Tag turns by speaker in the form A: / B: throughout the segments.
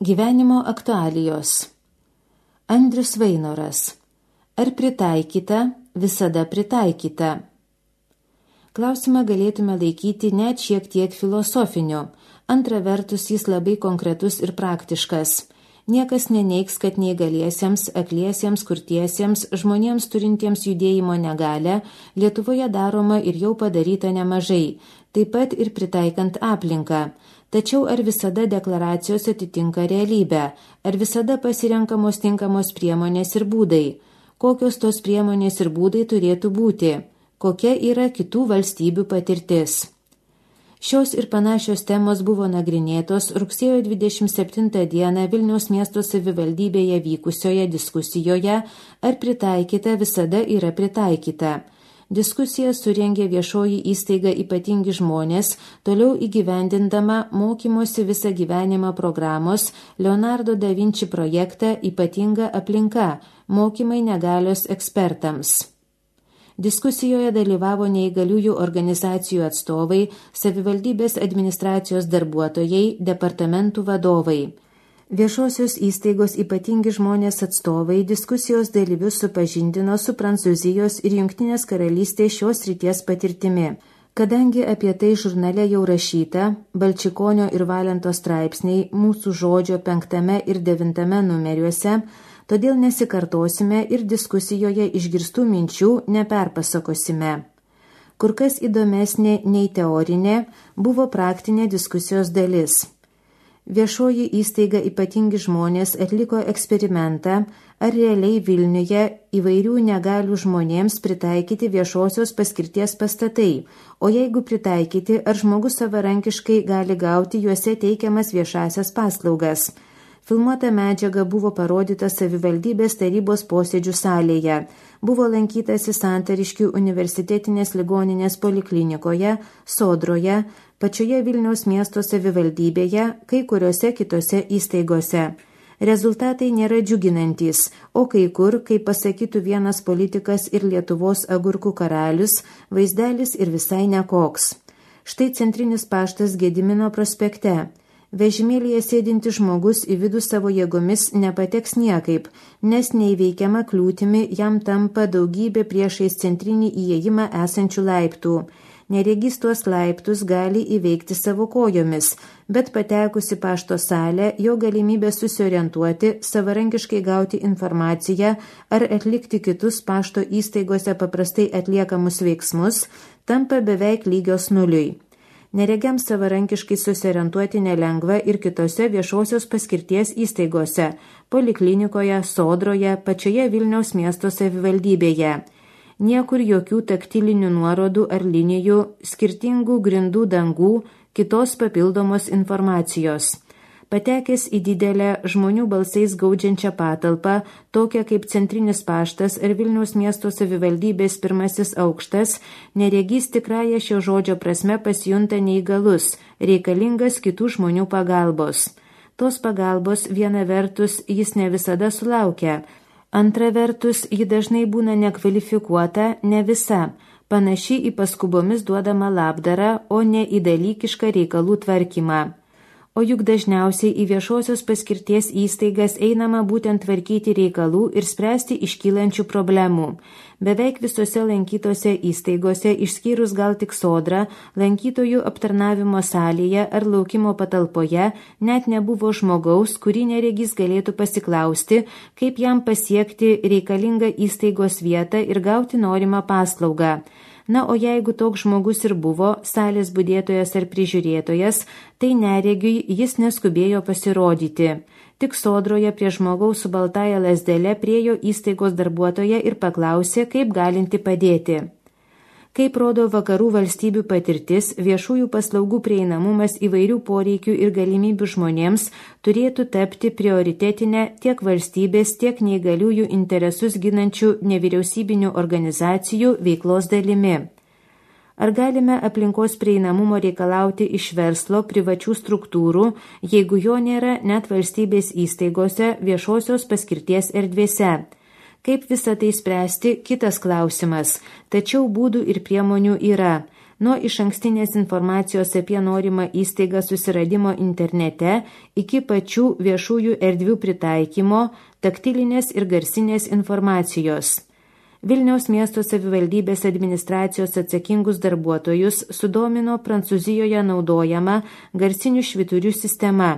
A: Gyvenimo aktualijos. Andrius Vainoras. Ar pritaikyta, visada pritaikyta? Klausimą galėtume laikyti net šiek tiek filosofiniu. Antra vertus, jis labai konkretus ir praktiškas. Niekas neneigs, kad neįgaliesiems, akliesiems, kurtiesiems, žmonėms turintiems judėjimo negalią Lietuvoje daroma ir jau padaryta nemažai, taip pat ir pritaikant aplinką. Tačiau ar visada deklaracijos atitinka realybę? Ar visada pasirenkamos tinkamos priemonės ir būdai? Kokios tos priemonės ir būdai turėtų būti? Kokia yra kitų valstybių patirtis? Šios ir panašios temos buvo nagrinėtos rugsėjo 27 dieną Vilniaus miesto savivaldybėje vykusioje diskusijoje Ar pritaikyta visada yra pritaikyta. Diskusiją surengė viešoji įstaiga Ypatingi žmonės, toliau įgyvendindama mokymosi visą gyvenimą programos Leonardo da Vinci projektą Ypatinga aplinka – mokymai negalios ekspertams. Diskusijoje dalyvavo neįgaliųjų organizacijų atstovai, savivaldybės administracijos darbuotojai, departamentų vadovai. Viešosios įstaigos Ypatingi žmonės atstovai diskusijos dalyvius supažindino su Prancūzijos ir Jungtinės karalystės šios srities patirtimi. Kadangi apie tai žurnale jau rašyta, Balčikonio ir Valento straipsniai Mūsų žodžio 5 ir 9 numeriuose, todėl nesikartosime ir diskusijoje išgirstų minčių neperpasakosime. Kur kas įdomesnė nei teorinė buvo praktinė diskusijos dalis. Viešoji įstaiga Ypatingi žmonės atliko eksperimentą, ar realiai Vilniuje įvairių negalių žmonėms pritaikyti viešosios paskirties pastatai, o jeigu pritaikyti, ar žmogus savarankiškai gali gauti juose teikiamas viešasias paslaugas. Filmuota medžiaga buvo parodyta savivaldybės tarybos posėdžių salėje, buvo lankytasi Santariškių universitetinės ligoninės poliklinikoje, Sodroje, pačioje Vilniaus miesto savivaldybėje, kai kuriuose kitose įstaigose. Rezultatai nėra džiuginantys, o kai kur, kaip pasakytų vienas politikas ir Lietuvos agurkų karalius, vaizdelis ir visai nekoks. Štai centrinis paštas Gedimino prospekte. Vežimėlyje sėdintis žmogus į vidų savo jėgomis nepateks niekaip, nes neįveikiama kliūtimi jam tampa daugybė priešais centrinį įėjimą esančių laiptų. Neregys tuos laiptus gali įveikti savo kojomis, bet patekusi pašto salę, jo galimybė susiorientuoti, savarankiškai gauti informaciją ar atlikti kitus pašto įstaigose paprastai atliekamus veiksmus, tampa beveik lygios nuliui. Neregiams savarankiškai susiorientuoti nelengva ir kitose viešosios paskirties įstaigose, poliklinikoje, Sodroje, pačioje Vilniaus miesto savivaldybėje. Niekur jokių taktilinių nuorodų ar linijų, skirtingų grindų dangų, kitos papildomos informacijos. Patekęs į didelę žmonių balsais gaudžiančią patalpą, tokią kaip centrinis paštas ar Vilniaus miesto savivaldybės 1 aukštas, neregys tikrąją šio žodžio prasme pasijunta neįgalus, reikalingas kitų žmonių pagalbos. Tos pagalbos viena vertus jis ne visada sulaukia, antra vertus ji dažnai būna nekvalifikuota, ne visa, panaši į paskubomis duodamą labdarą, o ne į dalykišką reikalų tvarkymą. O juk dažniausiai į viešosios paskirties įstaigas einama būtent tvarkyti reikalų ir spręsti iškylančių problemų. Beveik visose lankytose įstaigose, išskyrus gal tik Sodrą, lankytojų aptarnavimo salėje ar laukimo patalpoje net nebuvo žmogaus, kurį neregys galėtų pasiklausti, kaip jam pasiekti reikalingą įstaigos vietą ir gauti norimą paslaugą. Na, o jeigu toks žmogus ir buvo, salės budėtojas ar prižiūrėtojas, tai neregiui jis neskubėjo pasirodyti. Tik Sodroje prie žmogaus su baltąja lazdele priėjo įstaigos darbuotoja ir paklausė, kaip galinti padėti. Kaip rodo vakarų valstybių patirtis, viešųjų paslaugų prieinamumas įvairių poreikių ir galimybių žmonėms turėtų tapti prioritetinę tiek valstybės, tiek neįgaliųjų interesus ginančių nevyriausybinių organizacijų veiklos dalimi. Ar galime aplinkos prieinamumo reikalauti iš verslo, privačių struktūrų, jeigu jo nėra net valstybės įstaigose, viešosios paskirties erdvėse? Kaip visą tai spręsti, kitas klausimas, tačiau būdų ir priemonių yra. nuo išankstinės informacijos apie norimą įstaigą susiradimo internete iki pačių viešųjų erdvių pritaikymo, taktilinės ir garsinės informacijos. Vilniaus miesto savivaldybės administracijos atsakingus darbuotojus sudomino Prancūzijoje naudojama garsinių švyturių sistema.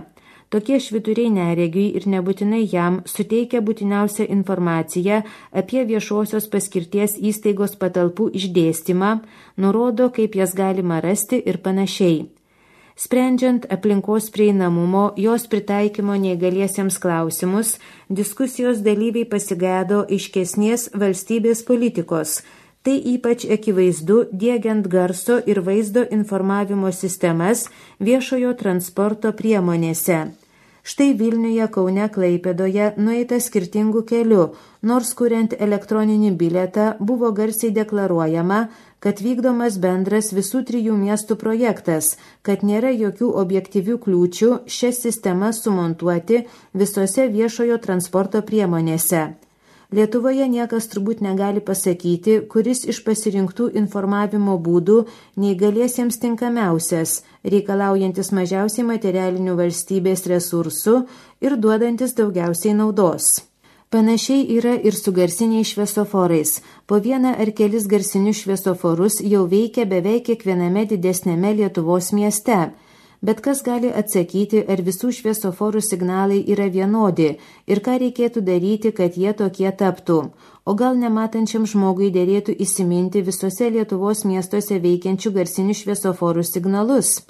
A: Tokie švyturiai neregiui ir nebūtinai jam suteikia būtiniausią informaciją apie viešosios paskirties įstaigos patalpų išdėstymą, nurodo, kaip jas galima rasti ir panašiai. Sprendžiant aplinkos prieinamumo, jos pritaikymo neįgaliesiems klausimus, diskusijos dalyviai pasigėdo aiškesnės valstybės politikos. Tai ypač akivaizdu diegiant garso ir vaizdo informavimo sistemas viešojo transporto priemonėse. Štai Vilniuje, Kaune, Klaipėdoje nueita skirtingų kelių, nors kuriant elektroninį bilietą buvo garsiai deklaruojama, kad vykdomas bendras visų 3 miestų projektas, kad nėra jokių objektyvių kliūčių šias sistemas sumontuoti visose viešojo transporto priemonėse. Lietuvoje niekas turbūt negali pasakyti, kuris iš pasirinktų informavimo būdų neįgaliesiems tinkamiausias, reikalaujantis mažiausiai materialinių valstybės resursų ir duodantis daugiausiai naudos. Panašiai yra ir su garsiniais šviesoforais. Po vieną ar kelis garsinius šviesoforus jau veikia beveik kiekviename didesnėme Lietuvos mieste. Bet kas gali atsakyti, ar visų šviesoforų signalai yra vienodi ir ką reikėtų daryti, kad jie tokie taptų? O gal nematančiam žmogui dėrėtų įsiminti visose Lietuvos miestuose veikiančių garsinių šviesoforų signalus?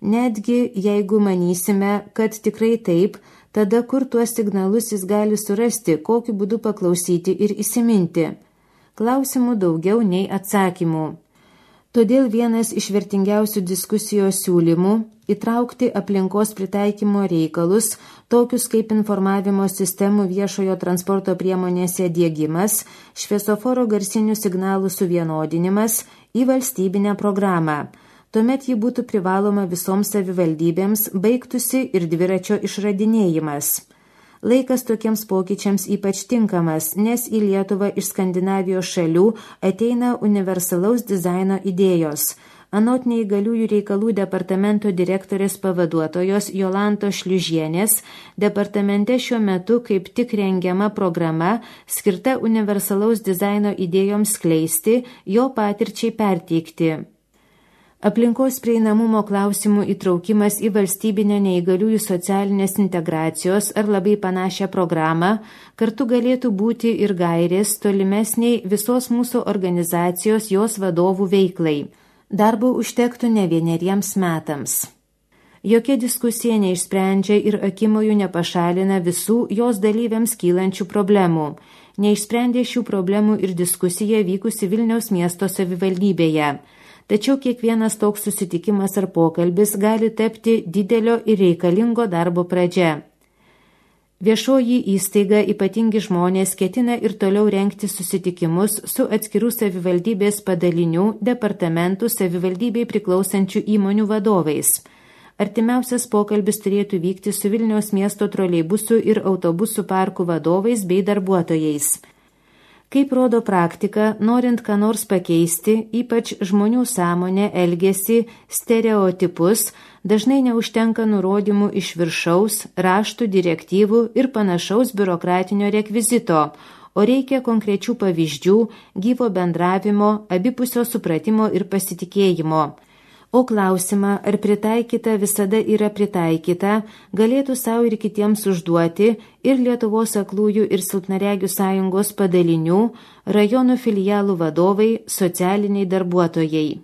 A: Netgi jeigu manysime, kad tikrai taip, tada kur tuos signalus jis gali surasti, kokiu būdu paklausyti ir įsiminti? Klausimų daugiau nei atsakymų. Todėl vienas iš vertingiausių diskusijos siūlymų – įtraukti aplinkos pritaikymo reikalus, tokius kaip informavimo sistemų viešojo transporto priemonėse diegimas, šviesoforo garsinių signalų suvienodinimas į valstybinę programą. Tuomet ji būtų privaloma visoms savivaldybėms, baigtųsi ir dviračio išradinėjimas. Laikas tokiems pokyčiams ypač tinkamas, nes į Lietuvą iš Skandinavijos šalių ateina universalaus dizaino idėjos. Anot neįgaliųjų reikalų departamento direktorės pavaduotojos Jolantos Šliužienės, departamente šiuo metu kaip tik rengiama programa skirta universalaus dizaino idėjoms skleisti, jo patirčiai perteikti. Aplinkos prieinamumo klausimų įtraukimas į valstybinę neįgaliųjų socialinės integracijos ar labai panašią programą kartu galėtų būti ir gairės tolimesniai visos mūsų organizacijos jos vadovų veiklai. Darbo užtektų ne 1 metams. Jokia diskusija neišsprendžia ir akimojų nepašalina visų jos dalyviams kylančių problemų. Neišsprendė šių problemų ir diskusija vykusi Vilniaus miesto savivaldybėje. Tačiau kiekvienas toks susitikimas ar pokalbis gali tapti didelio ir reikalingo darbo pradžia. Viešoji įstaiga ypatingi žmonės ketina ir toliau rengti susitikimus su atskirų savivaldybės padalinių, departamentų, savivaldybei priklausančių įmonių vadovais. Artimiausias pokalbis turėtų vykti su Vilniaus miesto troleibusų ir autobusų parkų vadovais bei darbuotojais. Kaip rodo praktika, norint ką nors pakeisti, ypač žmonių sąmonę, elgesį, stereotipus, dažnai neužtenka nurodymų iš viršaus, raštų, direktyvų ir panašaus biurokratinio rekvizito, o reikia konkrečių pavyzdžių, gyvo bendravimo, abipusio supratimo ir pasitikėjimo. O klausimą, ar pritaikyta visada yra pritaikyta, galėtų savo ir kitiems užduoti ir Lietuvos aklųjų ir silpnaregių sąjungos padalinių, rajonų filialų vadovai, socialiniai darbuotojai.